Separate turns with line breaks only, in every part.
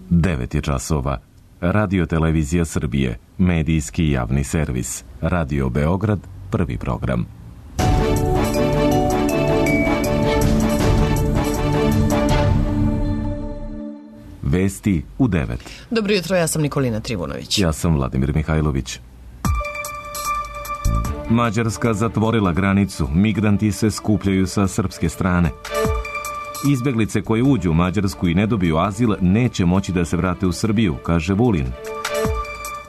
9 je časova. Radio Televizija Srbije, medijski javni servis. Radio Beograd, prvi program. Vesti u 9.
Dobro jutro, ja sam Nikolina Trivunović.
Ja sam Vladimir Mihajlović. Mađarska zatvorila granicu, migranti se skupljaju sa srpske strane. Izbeglice koje uđu u Mađarsku i ne dobiju azil neće moći da se vrate u Srbiju, kaže Vulin.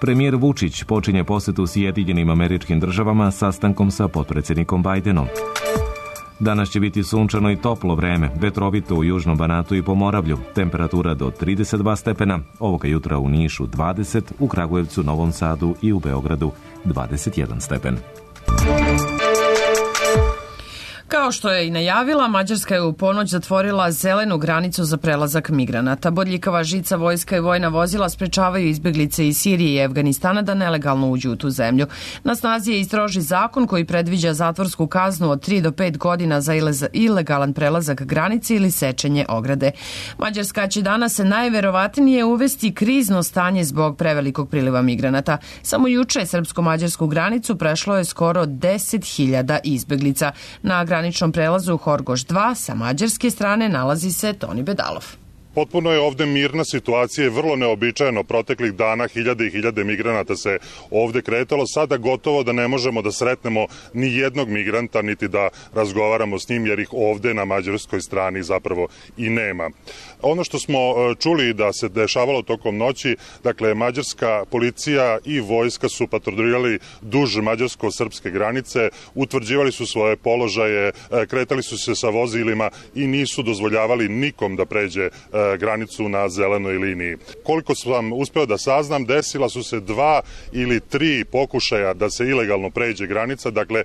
Premijer Vučić počinje posetu Sjedinjenim Američkim Državama sastankom sa potpredsjednikom Bajdenom. Danas će biti sunčano i toplo vreme, vetrovito u južnom Banatu i Pomoravlju, temperatura do 32 stepena, ovoga jutra u Nišu 20, u Kragujevcu, Novom Sadu i u Beogradu 21 stepen.
Kao što je i najavila, Mađarska je u ponoć zatvorila zelenu granicu za prelazak migranata. Bodljikava žica, vojska i vojna vozila sprečavaju izbeglice iz Sirije i Afganistana da nelegalno uđu u tu zemlju. Na snazi je i stroži zakon koji predviđa zatvorsku kaznu od 3 do 5 godina za ilegalan prelazak granice ili sečenje ograde. Mađarska će danas najverovatnije uvesti krizno stanje zbog prevelikog priliva migranata. Samo juče srpsko-mađarsku granicu prešlo je skoro 10.000 izbeglica. Na graničnom prelazu Horgoš 2 sa mađarske strane nalazi se Toni Bedalov.
Potpuno je ovde mirna situacija, vrlo neobičajeno. Proteklih dana hiljade i hiljade migranata se ovde kretalo. Sada gotovo da ne možemo da sretnemo ni jednog migranta, niti da razgovaramo s njim, jer ih ovde na mađarskoj strani zapravo i nema. Ono što smo čuli da se dešavalo tokom noći, dakle, mađarska policija i vojska su patrolirali duž mađarsko-srpske granice, utvrđivali su svoje položaje, kretali su se sa vozilima i nisu dozvoljavali nikom da pređe granicu na zelenoj liniji. Koliko sam uspeo da saznam, desila su se 2 ili 3 pokušaja da se ilegalno pređe granica. Dakle,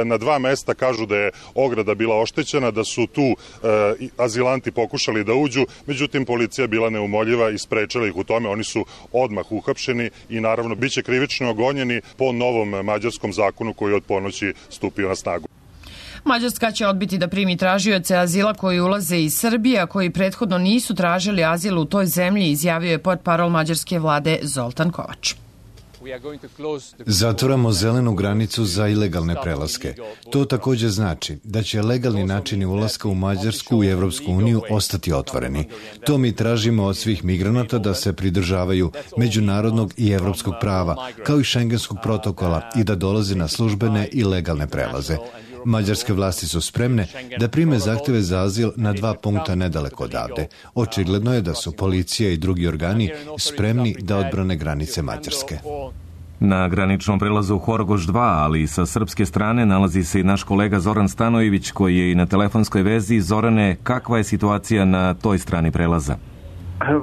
na 2 mesta kažu da je ograda bila oštećena, da su tu azilanti pokušali da uđu, međutim policija bila neumoljiva i sprečila ih u tome. Oni su odmah uhapšeni i naravno biće krivično gonjeni po novom mađarskom zakonu koji je od ponoći stupio na snagu.
Mađarska će odbiti da primi tražioce azila koji ulaze iz Srbije, a koji prethodno nisu tražili azil u toj zemlji, izjavio je portparol mađarske vlade Zoltan Kovač.
Zatvaramo zelenu granicu za ilegalne prelaske. To također znači da će legalni načini ulaska u Mađarsku i Evropsku uniju ostati otvoreni. To mi tražimo od svih migranata da se pridržavaju međunarodnog i evropskog prava, kao i šengenskog protokola i da dolaze na službene i legalne prelaze. Mađarske vlasti su spremne da prime zahteve za azil na 2 punkta nedaleko odavde. Očigledno je da su policija i drugi organi spremni da odbrane granice Mađarske.
Na graničnom prelazu Horgoš 2, ali i sa srpske strane, nalazi se i naš kolega Zoran Stanojević, koji je i na telefonskoj vezi. Zorane, kakva je situacija na toj strani prelaza?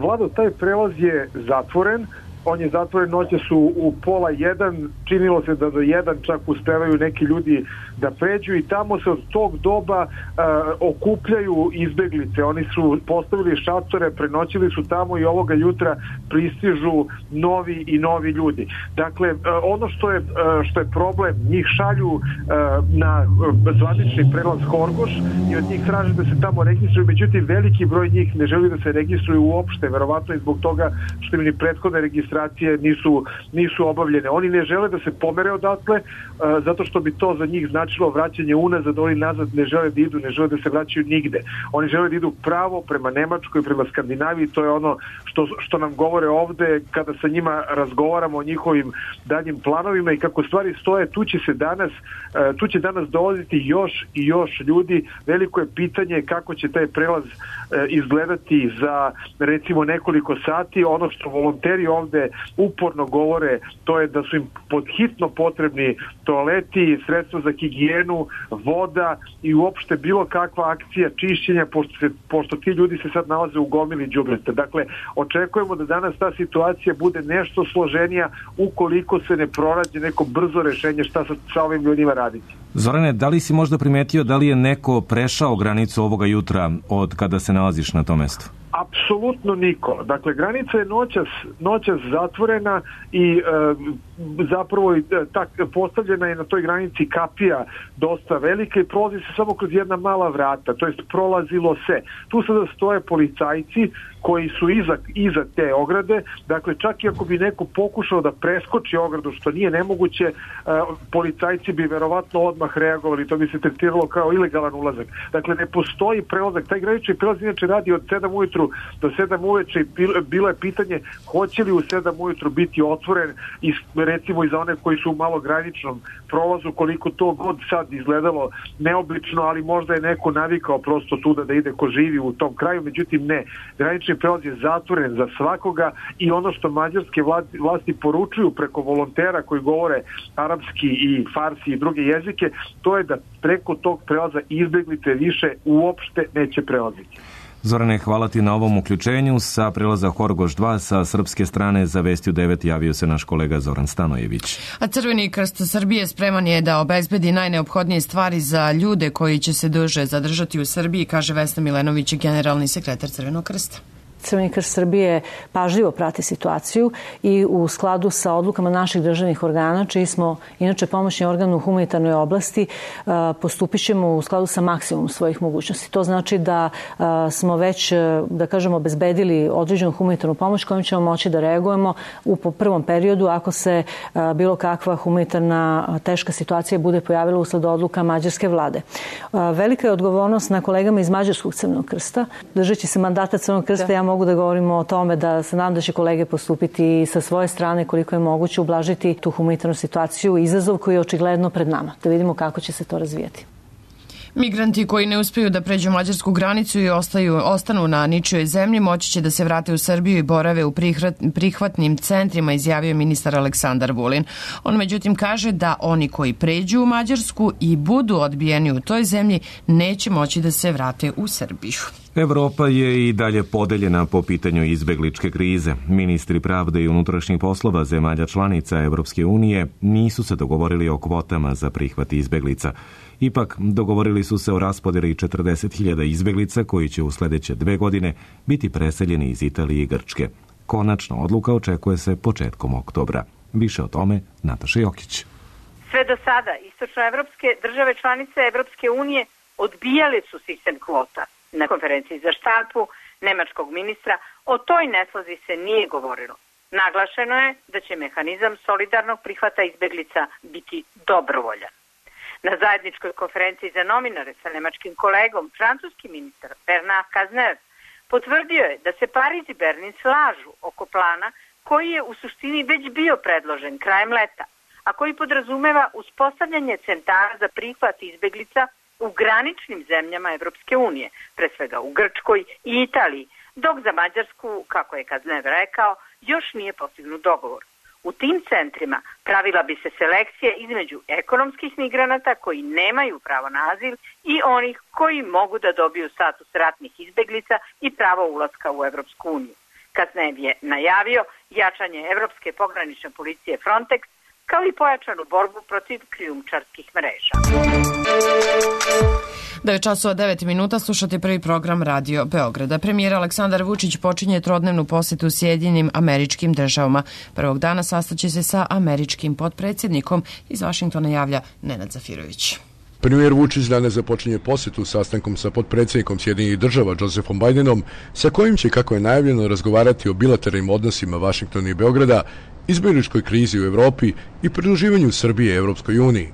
Vlado, taj prelaz je zatvoren. On je zatvoren, noće su u 12:30, činilo se da do 1 čak uspevaju neki ljudi da pređu i tamo se od tog doba okupljaju izbeglice. Oni su postavili šatore, prenoćili su tamo i ovoga jutra pristižu novi ljudi. Dakle, ono što je problem, njih šalju na zvanični prelaz Horgoš i od njih traže da se tamo registruju, međutim veliki broj njih ne želi da se registruju uopšte, verovatno i zbog toga što im ni prethodne registracije nisu obavljene. Oni ne žele da se pomere odatle, zato što bi to za njih značilo vraćanje unazad. Oni nazad ne žele da idu, ne žele da se vraćaju nigde. Oni žele da idu pravo prema Nemačkoj, prema Skandinaviji. To je ono što nam govore ovde kada sa njima razgovaramo o njihovim daljim planovima i kako stvari stoje. Tu će danas dolaziti još i još ljudi. Veliko je pitanje kako će taj prelaz izgledati za recimo nekoliko sati. Ono što volonteri ovde uporno govore, to je da su im podhitno potrebni toaleti, sredstva za higijenu, voda i uopšte bilo kakva akcija čišćenja, pošto ti ljudi se sad nalaze u gomili đubreta. Dakle, očekujemo da danas ta situacija bude nešto složenija ukoliko se ne pronađe neko brzo rešenje šta sa ovim ljudima raditi.
Zorane, da li si možda primetio da li je neko prešao granicu ovoga jutra od kada se nalaziš na tom mestu?
Apsolutno niko. Dakle, granica je noćas zatvorena i zapravo postavljena je na toj granici kapija dosta velika i prolazi se samo kroz jedna mala vrata, to jest prolazilo se. Tu sada stoje policajci koji su iza te ograde, dakle čak i ako bi neko pokušao da preskoči ogradu, što nije nemoguće, policajci bi verovatno odmah reagovali, to bi se tretiralo kao ilegalan ulazak. Dakle, ne postoji prelazak, taj granični prelaz inače radi od 7 ujutru do 7 uveče i bilo je pitanje hoće li u 7 ujutru biti otvoren i recimo i za one koji su u malograničnom prolazu, koliko to god sad izgledalo neobično, ali možda je neko navikao prosto tuda da ide ko živi u tom kraju, međutim ne, granični prelaz je zatvoren za svakoga i ono što mađarske vlasti poručuju preko volontera koji govore arapski i farsi i druge jezike, to je da preko tog prelaza izbeglice više uopšte neće prelaziti.
Zorane, hvala ti na ovom uključenju. Sa prelaza Horgoš 2 sa srpske strane za Vestiju 9 javio se naš kolega Zoran Stanojević.
A Crveni krst Srbije spreman je da obezbedi najneophodnije stvari za ljude koji će se duže zadržati u Srbiji, kaže Vesna Milenović, generalni sekretar Crvenog krsta.
Crveni krst Srbije pažljivo prati situaciju i u skladu sa odlukama naših državnih organa, čiji smo inače pomoćni organ u humanitarnoj oblasti, postupit ćemo u skladu sa maksimum svojih mogućnosti. To znači da smo već, da kažemo, obezbedili određenu humanitarnu pomoć kojom ćemo moći da reagujemo u prvom periodu ako se bilo kakva humanitarna teška situacija bude pojavila usled odluka mađarske vlade. Velika je odgovornost na kolegama iz Mađarskog Crvenog krsta. Držeći se mandata Crvenog krsta, ja mogu da govorimo o tome da se nadam da će kolege postupiti sa svoje strane koliko je moguće ublažiti tu humanitarnu situaciju i izazov koji je očigledno pred nama. Da vidimo kako će se to razvijati.
Migranti koji ne uspeju da pređu mađarsku granicu i ostanu na ničijoj zemlji moći će da se vrate u Srbiju i borave u prihvatnim centrima, izjavio ministar Aleksandar Vulin. On međutim kaže da oni koji pređu u Mađarsku i budu odbijeni u toj zemlji neće moći da se vrate u Srbiju.
Evropa je i dalje podeljena po pitanju izbegličke krize. Ministri pravde i unutrašnjih poslova zemalja članica Evropske unije nisu se dogovorili o kvotama za prihvat izbeglica. Ipak, dogovorili su se o raspodjeli 40.000 izbeglica koji će u sljedeće 2 godine biti preseljeni iz Italije i Grčke. Konačna odluka očekuje se početkom oktobra. Više o tome Nataša Jokić.
Sve do sada istočnoevropske države članice Evropske unije odbijale su sistem kvota. Na konferenciji za štampu nemačkog ministra o toj neslozi se nije govorilo. Naglašeno je da će mehanizam solidarnog prihvata izbeglica biti dobrovoljan. Na zajedničkoj konferenciji za novinare sa nemačkim kolegom, francuski ministar Bernard Cazeneuve potvrdio je da se Pariz i Berlin slažu oko plana koji je u suštini već bio predložen krajem leta, a koji podrazumeva uspostavljanje centara za prihvat izbeglica u graničnim zemljama Evropske unije, pre svega u Grčkoj i Italiji, dok za Mađarsku, kako je Cazeneuve rekao, još nije postignut dogovor. U tim centrima pravila bi se selekcija između ekonomskih migranata koji nemaju pravo na azil i onih koji mogu da dobiju status ratnih izbeglica i pravo ulaska u Evropsku uniju. Cazeneuve je najavio jačanje Evropske pogranične policije Frontex, kao i pojačanu borbu protiv krijumčarskih mreža.
9:09 slušate prvi program Radio Beograda. Premijer Aleksandar Vučić počinje trodnevnu posetu Sjedinjenim Američkim Državama. Prvog dana sastaće se sa američkim potpredsjednikom. Iz Vašingtona javlja Nenad Zafirović.
Premijer Vučić danas započinje posetu sastankom sa potpredsjednikom Sjedinjenih Država Josephom Bidenom, sa kojim će, kako je najavljeno, razgovarati o bilateralnim odnosima Vašingtona i Beograda, izbjegličkoj krizi u Evropi i pridruživanju Srbije Evropskoj uniji.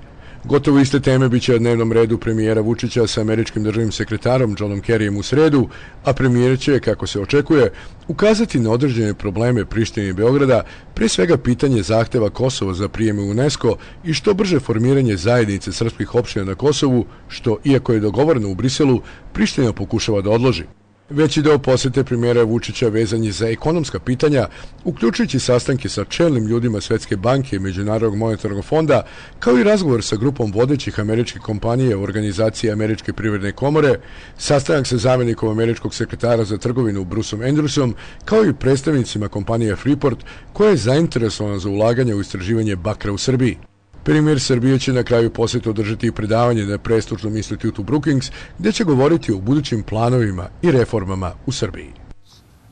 Gotovo iste teme biće na dnevnom redu premijera Vučića sa američkim državnim sekretarom Johnom Kerryjem u sredu, a premijer će, kako se očekuje, ukazati na određene probleme Prištine i Beograda, pre svega pitanje zahteva Kosova za prijem u UNESCO i što brže formiranje zajednice srpskih opština na Kosovu, što, iako je dogovoreno u Briselu, Priština pokušava da odloži. Veći deo posete premijera Vučića vezan je za ekonomska pitanja, uključujući sastanke sa čelnim ljudima Svetske banke i Međunarodnog monetarnog fonda, kao i razgovor sa grupom vodećih američkih kompanija u organizaciji Američke privredne komore, sastanak sa zamjenikom američkog sekretara za trgovinu Bruceom Andrewsom, kao i predstavnicima kompanije Freeport, koja je zainteresovana za ulaganje u istraživanje bakra u Srbiji. Premijer Srbije će na kraju posjeta održati i predavanje na prestižnom institutu Brookings, gdje će govoriti o budućim planovima i reformama u Srbiji.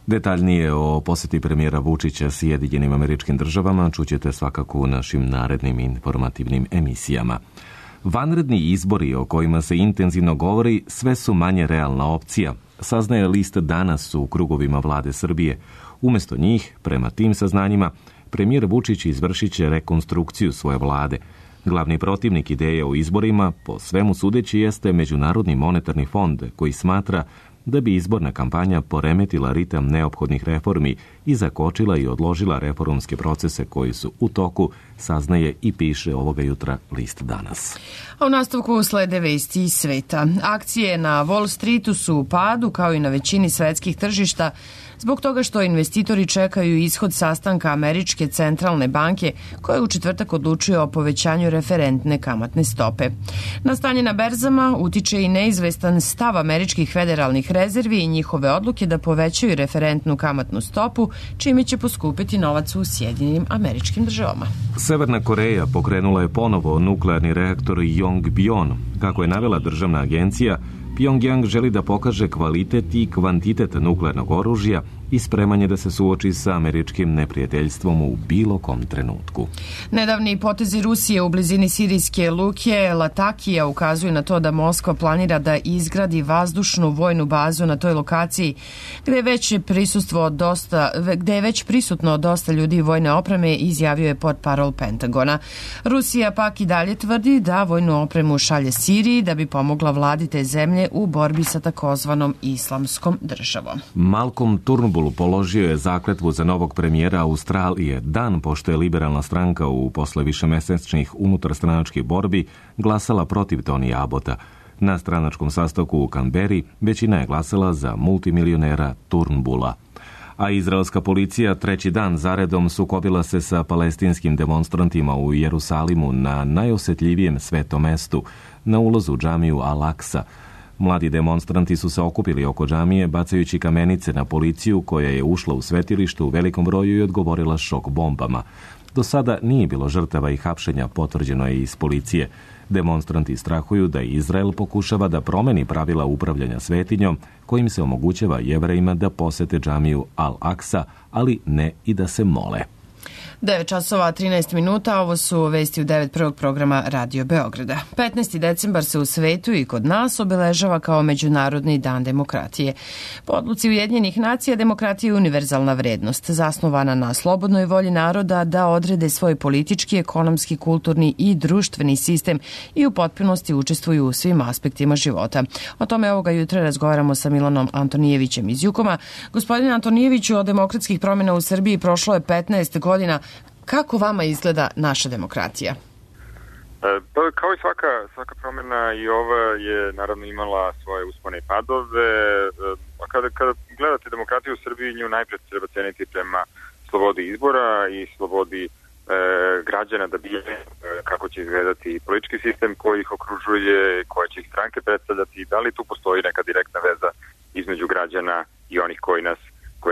Detaljnije o posjeti premijera Vučića Sjedinjenim Američkim Državama čućete svakako u našim narednim informativnim emisijama. Vanredni izbori o kojima se intenzivno govori sve su manje realna opcija, saznaje list Danas u krugovima vlade Srbije. Umjesto njih, prema tim saznanjima, premijer Vučić izvršit će rekonstrukciju svoje vlade. Glavni protivnik ideje o izborima, po svemu sudeći, jeste Međunarodni monetarni fond, koji smatra da bi izborna kampanja poremetila ritam neophodnih reformi i zakočila i odložila reformske procese koji su u toku, saznaje i piše ovoga jutra list Danas.
A u nastavku slede vesti iz sveta. Akcije na Wall Streetu su u padu, kao i na većini svetskih tržišta, zbog toga što investitori čekaju ishod sastanka Američke centralne banke, koja u četvrtak odlučuje o povećanju referentne kamatne stope. Na stanje na berzama utiče i neizvestan stav američkih federalnih rezervi i njihove odluke da povećaju referentnu kamatnu stopu, čime će poskupiti novac u Sjedinjenim Američkim Državama.
Severna Koreja pokrenula je ponovo nuklearni reaktor Yongbyon. Kako je navela državna agencija, Pyongyang želi da pokaže kvalitet i kvantitet nuklearnog oružja i spremanje da se suoči sa američkim neprijateljstvom u bilo kom trenutku.
Nedavni potezi Rusije u blizini sirijske luke Latakija ukazuju na to da Moskva planira da izgradi vazdušnu vojnu bazu na toj lokaciji, gde je već prisutno dosta ljudi i vojne opreme, izjavio je portparol Pentagona. Rusija pak i dalje tvrdi da vojnu opremu šalje Siriji da bi pomogla vladi te zemlje u borbi sa takozvanom islamskom državom.
Malcolm Turnbull položio je zakletvu za novog premijera Australije dan pošto je liberalna stranka posle višemesečnih unutarstranačkih borbi glasala protiv Tony Abbotta. Na stranačkom sastanku u Canberri većina je glasala za multimilionera Turnbulla. A izraelska policija treći dan zaredom sukobila se sa palestinskim demonstrantima u Jerusalimu na najosetljivijem svetom mestu, na ulazu u džamiju Al-Aksa. Mladi demonstranti su se okupili oko džamije bacajući kamenice na policiju koja je ušla u svetilište u velikom broju i odgovorila šok bombama. Do sada nije bilo žrtava i hapšenja, potvrđeno je iz policije. Demonstranti strahuju da Izrael pokušava da promeni pravila upravljanja svetinjom, kojim se omogućava Jevrejima da posete džamiju Al-Aksa, ali ne i da se mole.
9 časova 13 minuta, ovo su vesti u 9 prvog programa Radio Beograda. 15. decembar se u svetu i kod nas obeležava kao Međunarodni dan demokratije. Po odluci Ujedinjenih nacija, demokratija je univerzalna vrednost, zasnovana na slobodnoj volji naroda da odrede svoj politički, ekonomski, kulturni i društveni sistem i u potpunosti učestvuju u svim aspektima života. O tome ovoga jutra razgovaramo sa Milanom Antonijevićem iz Jukoma. Gospodine Antonijeviću, od demokratskih promjena u Srbiji prošlo je 15 godina. Kako vama izgleda naša demokratija?
Kao i svaka promjena, i ova je naravno imala svoje uspone i padove. Kada gledate demokratiju u Srbiji, nju najpred treba ceniti prema slobodi izbora i slobodi građana da bire kako će izgledati politički sistem koji ih okružuje, koje će ih stranke predstavljati, da li tu postoji neka direktna veza između građana i onih koji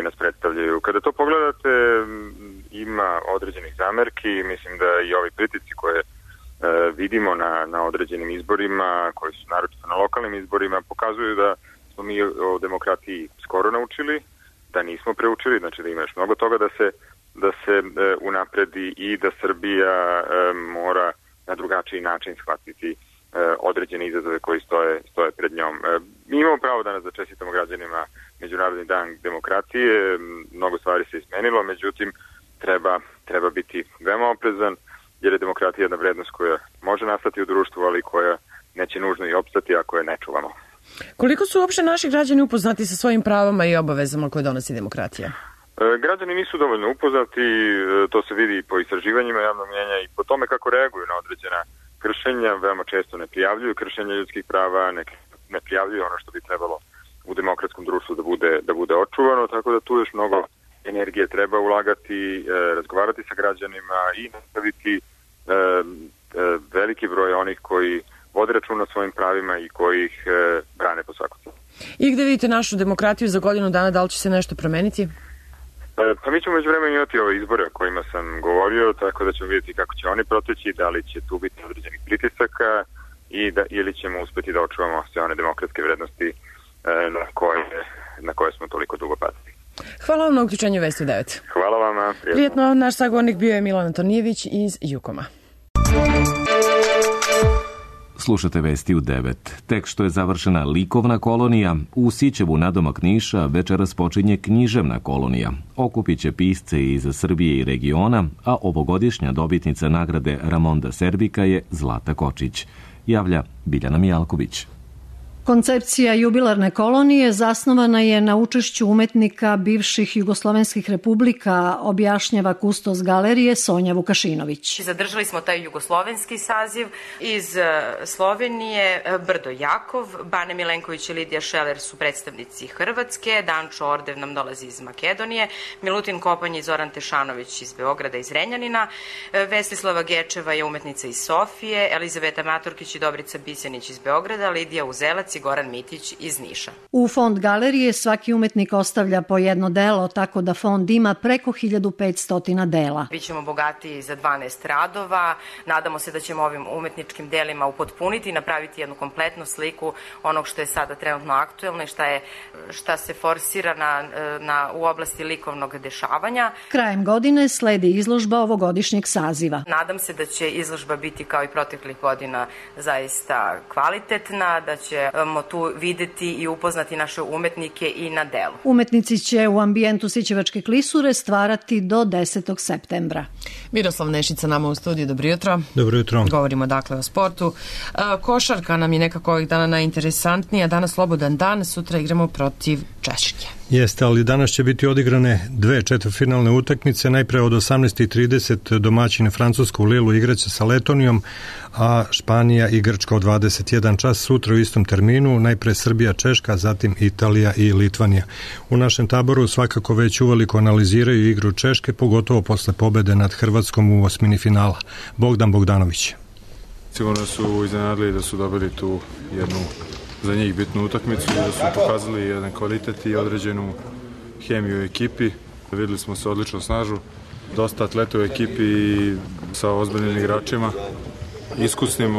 nas predstavljaju. Kada to pogledate, ima određenih zamerki, mislim da i ovi pritisci koje vidimo na određenim izborima, koji su naročito na lokalnim izborima, pokazuju da smo mi o demokratiji skoro naučili, da nismo preučili, znači da ima još mnogo toga da se unapredi i da Srbija mora na drugačiji način shvatiti određene izazove koji stoje pred njom. Mi imamo pravo danas da čestitamo građanima Međunarodni dan demokratije, mnogo stvari se izmenilo, međutim treba biti veoma oprezan, jer je demokratija jedna vrednost koja može nastati u društvu, ali koja neće nužno i opstati ako je ne čuvamo.
Koliko su uopšte naši građani upoznati sa svojim pravama i obavezama koje donosi demokratija?
Građani nisu dovoljno upoznati, to se vidi po istraživanjima javnog mnjenja i po tome kako reaguju na određena kršenja. Veoma često ne prijavljuju kršenja ljudskih prava, ne prijavljuju ono što bi trebalo u demokratskom društvu da bude očuvano, tako da tu još mnogo energije treba ulagati, razgovarati sa građanima i nastaviti veliki broj onih koji vode računa o svojim pravima i koji ih brane po svaku cenu.
I gde vidite našu demokratiju za godinu dana, da li će se nešto promeniti?
Pa mi ćemo međuvremenu imati ove izbore o kojima sam govorio, tako da ćemo vidjeti kako će oni proteći, da li će tu biti određenih pritisaka ili ćemo uspeti da očuvamo sve one demokratske vrednosti na koje smo toliko dugo pazili.
Hvala vam na uključenju Vesti u 9.
Hvala vama.
Prijetno, naš sagovornik bio je Milan Antonijević iz Jukoma.
Slušate Vesti u 9. Tek što je završena likovna kolonija, u Sićevu nadomak Niša večeras počinje književna kolonija. Okupit će pisce iz Srbije i regiona, a ovogodišnja dobitnica nagrade Ramonda Serbika je Zlata Kočić. Javlja Biljana Mijalković.
Koncepcija jubilarne kolonije zasnovana je na učešću umetnika bivših jugoslovenskih republika, objašnjava kustos galerije Sonja Vukašinović.
Zadržali smo taj jugoslovenski saziv. Iz Slovenije Brdo Jakov, Bane Milenković i Lidija Šeler su predstavnici Hrvatske, Dančo Ordev nam dolazi iz Makedonije, Milutin Kopanj i Zoran Tešanović iz Beograda i Zrenjanina, Vestislava Gečeva je umetnica iz Sofije, Elizaveta Maturkić i Dobrica Bisenić iz Beograda, Lidija Uzelac i Goran Mitić iz Niša.
U fond galerije svaki umetnik ostavlja po jedno delo, tako da fond ima preko 1500 dela.
Bićemo bogati za 12 radova. Nadamo se da ćemo ovim umetničkim delima upotpuniti i napraviti jednu kompletnu sliku onog što je sada trenutno aktuelno i šta se forsira u oblasti likovnog dešavanja.
Krajem godine sledi izložba ovogodišnjeg saziva.
Nadam se da će izložba biti kao i proteklih godina zaista kvalitetna, da ćemo tu videti i upoznati naše umetnike i na delu.
Umetnici će u ambijentu Sićevačke klisure stvarati do 10. septembra.
Miroslav Nešica nama u studiju, dobro jutro.
Dobro jutro.
Govorimo dakle o sportu. Košarka nam je nekako ovih dana najinteresantnija. Danas slobodan dan, sutra igramo protiv Češke.
Jeste, ali danas će biti odigrane dve četvrtfinalne utakmice. Najpre od 18:30 domaćini Francuska u Lilu igraće sa Letonijom, a Španija i Grčka od 21 čas sutra u istom terminu. Najpre Srbija, Češka, zatim Italija i Litvanija. U našem taboru svakako već uveliko analiziraju igru Češke, pogotovo posle pobede nad Hrvatskom u osmini finala. Bogdan Bogdanović.
Sigurno su iznenadili da su dobili tu jednu za njih bitnu utakmicu, da su pokazali jedan kvalitet i određenu hemiju u ekipi. Videli smo se odlično snažu, dosta atleta u ekipi i sa ozbiljnim igračima, iskusnim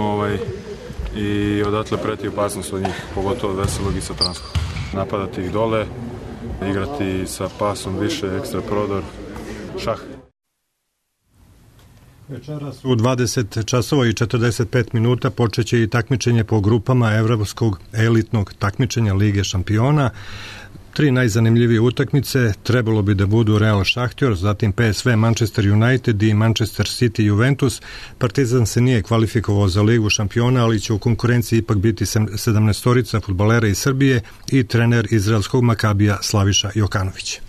i odatle preti opasnost od njih, pogotovo od Veselog i Satranskog. Napadati ih dole, igrati sa pasom više, ekstra prodor, šah.
Večeras u 20 časova i 45 minuta počeće i takmičenje po grupama evropskog elitnog takmičenja Lige šampiona. Tri najzanimljivije utakmice trebalo bi da budu Real Šahtjor, zatim PSV Manchester United i Manchester City Juventus. Partizan se nije kvalifikovao za Ligu šampiona, ali će u konkurenciji ipak biti 17-torica fudbalera iz Srbije i trener izraelskog Makabija Slaviša Jokanović.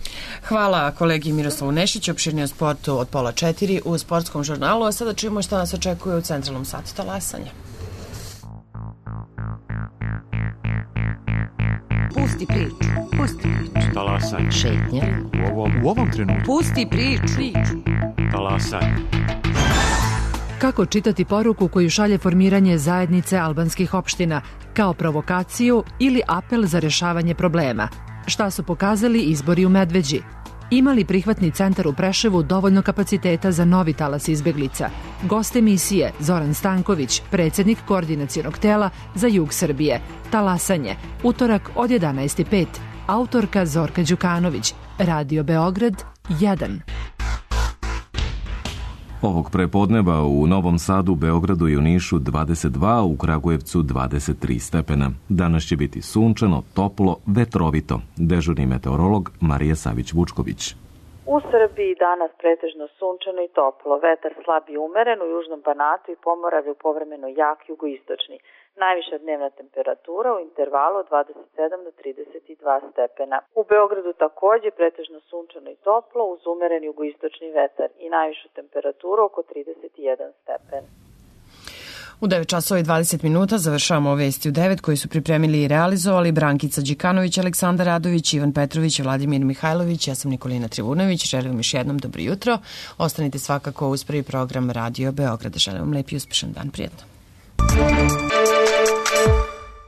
Hvala kolegi Miroslavu Nešiću, opširnije o sportu od 3:30 u sportskom žurnalu, a sada čujemo šta nas očekuje u centralnom satu talasanja.
Pusti priču, pusti priču.
Talasanje.
Šetnja.
U ovom trenutku.
Pusti priču.
Talasanje.
Kako čitati poruku koju šalje formiranje zajednice albanskih opština, kao provokaciju ili apel za rešavanje problema? Šta su pokazali izbori u Medveđi? Ima li prihvatni centar u Preševu dovoljno kapaciteta za novi talas izbeglica? Gost emisije Zoran Stanković, predsjednik koordinacionog tela za jug Srbije. Talasanje, utorak od 11:05. Autorka Zorka Đukanović, Radio Beograd 1.
Ovog prepodneva u Novom Sadu, Beogradu i u Nišu 22, u Kragujevcu 23 stepena. Danas će biti sunčano, toplo, vetrovito. Dežurni meteorolog Marija Savić-Vučković.
U Srbiji danas pretežno sunčano i toplo. Vetar slab i umeren, u južnom Banatu i Pomoravlju povremeno jak jugoistočni. Najviša dnevna temperatura u intervalu od 27 do 32 stepena. U Beogradu takođe pretežno sunčano i toplo uz umeren jugoistočni vetar i najvišu temperaturu oko 31 stepen.
U 9 časova i 20 minuta završavamo Vesti u 9 koji su pripremili i realizovali Brankica Đikanović, Aleksandar Radović, Ivan Petrović i Vladimir Mihajlović. Ja sam Nikolina Trivunović. Želim vam još jednom dobro jutro. Ostanite svakako uz prvi program Radio Beograda. Želim vam lep i uspešan dan. Prijetno.